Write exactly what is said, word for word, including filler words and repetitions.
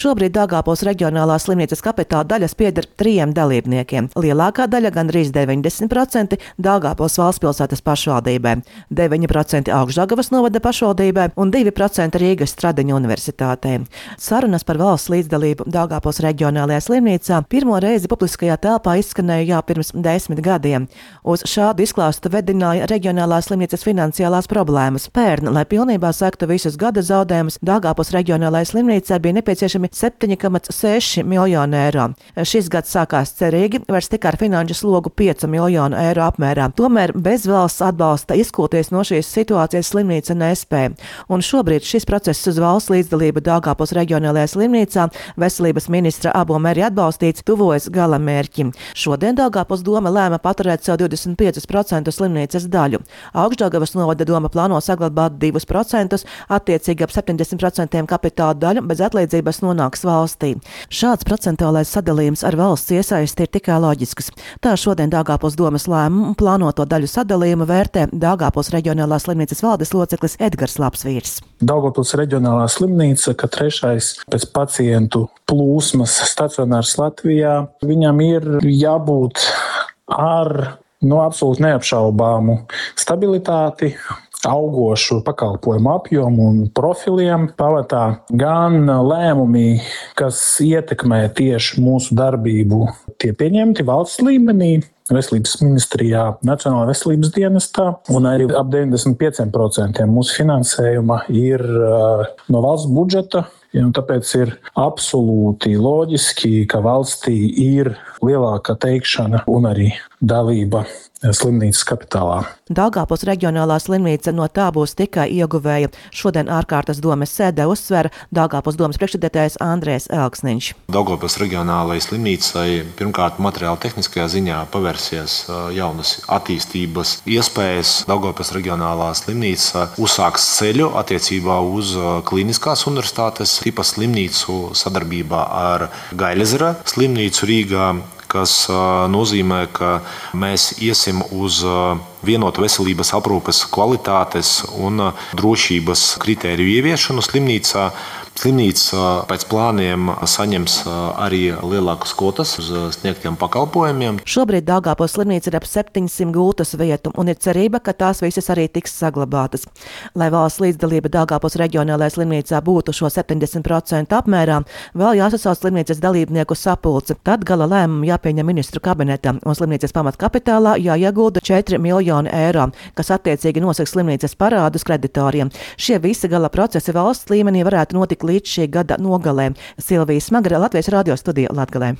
Šobrīd Daugavpils reģionālās slimnīcas kapitāla daļas pieder trijiem dalībniekiem. Lielākā daļa, gandrīz deviņdesmit procenti, Daugavpils valstspilsētas pašvaldībai, deviņi procenti Augšdaugavas novada pašvaldībai un divi procenti Rīgas Stradiņu universitātei. Sarunas par valsts līdzdalību Daugavpils reģionālajā slimnīcā pirmo reizi publiskajā telpā izskanēja jau pirms desmit gadiem. Uz šādu izklāstu vedināja reģionālās slimnīcas finansiālās problēmas. Pērn, lai pilnībā sektu visus gada zaudējumus, Daugavpils reģionālajai slimnīcai bija nepieciešami septiņi komats seši miljoni eiro. Šis gads sākās cerīgi, vairs tikai ar finanšu slogu piecu miljonu eiro apmērā. Tomēr bez valsts atbalsta izkūties no šīs situācijas slimnīca nespēja. Un šobrīd šis process uz valsts līdzdalību Daugavpils reģionālajā slimnīcā veselības ministra Abo Meri atbalstīts tuvojas gala mērķim. Šodien Daugavpils doma lēma paturēt sev divdesmit pieci procenti slimnīcas daļu. Augšdaugavas novada doma plāno saglabāt divus procentus, attiecīgi ap septiņdesmit procenti kapitāla daļu bez atlīdzības nonāks valstī. Šāds procentuālais sadalījums ar valsts iesaisti ir tikai loģisks. Tā šodien Daugavpils domas lēmumu plānoto daļu sadalījumu vērtē Daugavpils reģionālās slimnīcas valdes loceklis Edgars Lapsvīrs. Daugavpils reģionālā slimnīca, ka trešais pēc pacientu plūsmas stacionārs Latvijā, viņam ir jābūt ar no absolūti neapšaubāmu stabilitāti, augošu pakalpojumu apjomu un profiliem. Pamatā gan lēmumi, kas ietekmē tieši mūsu darbību, tie pieņemti valsts līmenī, Veselības ministrijā, Nacionālajā veselības dienestā, un arī ap deviņdesmit pieci procenti mūsu finansējuma ir no valsts budžeta. Ja, tāpēc ir absolūti loģiski, ka valstī ir lielāka teikšana un arī dalība slimnīcas kapitālā. Daugavpils reģionālā slimnīca no tā būs tikai ieguvēja. Šodien ārkārtas domes sēdē uzsver Daugavpils domes priekšsēdētājs Andrejs Elksniņš. Daugavpils reģionālajai slimnīcai pirmkārt materiāli tehniskajā ziņā pavērsies jaunas attīstības iespējas. Daugavpils reģionālā slimnīca uzsāks ceļu attiecībā uz Kliniskās universitātes tipa slimnīcu sadarbībā ar Gaļezera slimnīcu Rīgā, kas nozīmē, ka mēs iesim uz vienotu veselības aprūpes kvalitātes un drošības kritēriju ieviešanu slimnīcā. Slimnīca pēc plāniem saņems arī lielākas kvotas uz sniegtiem pakalpojumiem. Šobrīd Daugavpils slimnīca ir ap septiņsimt gultas vietu un ir cerība, ka tās visas arī tiks saglabātas. Lai valsts līdzdalība Daugavpils reģionālajā slimnīcā būtu šo septiņdesmit procentu apmērā, vēl jāsasauc slimnīcas dalībnieku sapulce. Tad gala lēmumu jāpieņem ministru kabinetam un slimnīcas pamatkapitālā jāiegulda četri miljoni eiro, kas attiecīgi nosaka slimnīcas parādus kreditoriem. Šie visi gala procesi valsts līmenī varētu notikt līdz šī gada nogalē. Silvija Smagare, Latvijas radio studija Latgalē.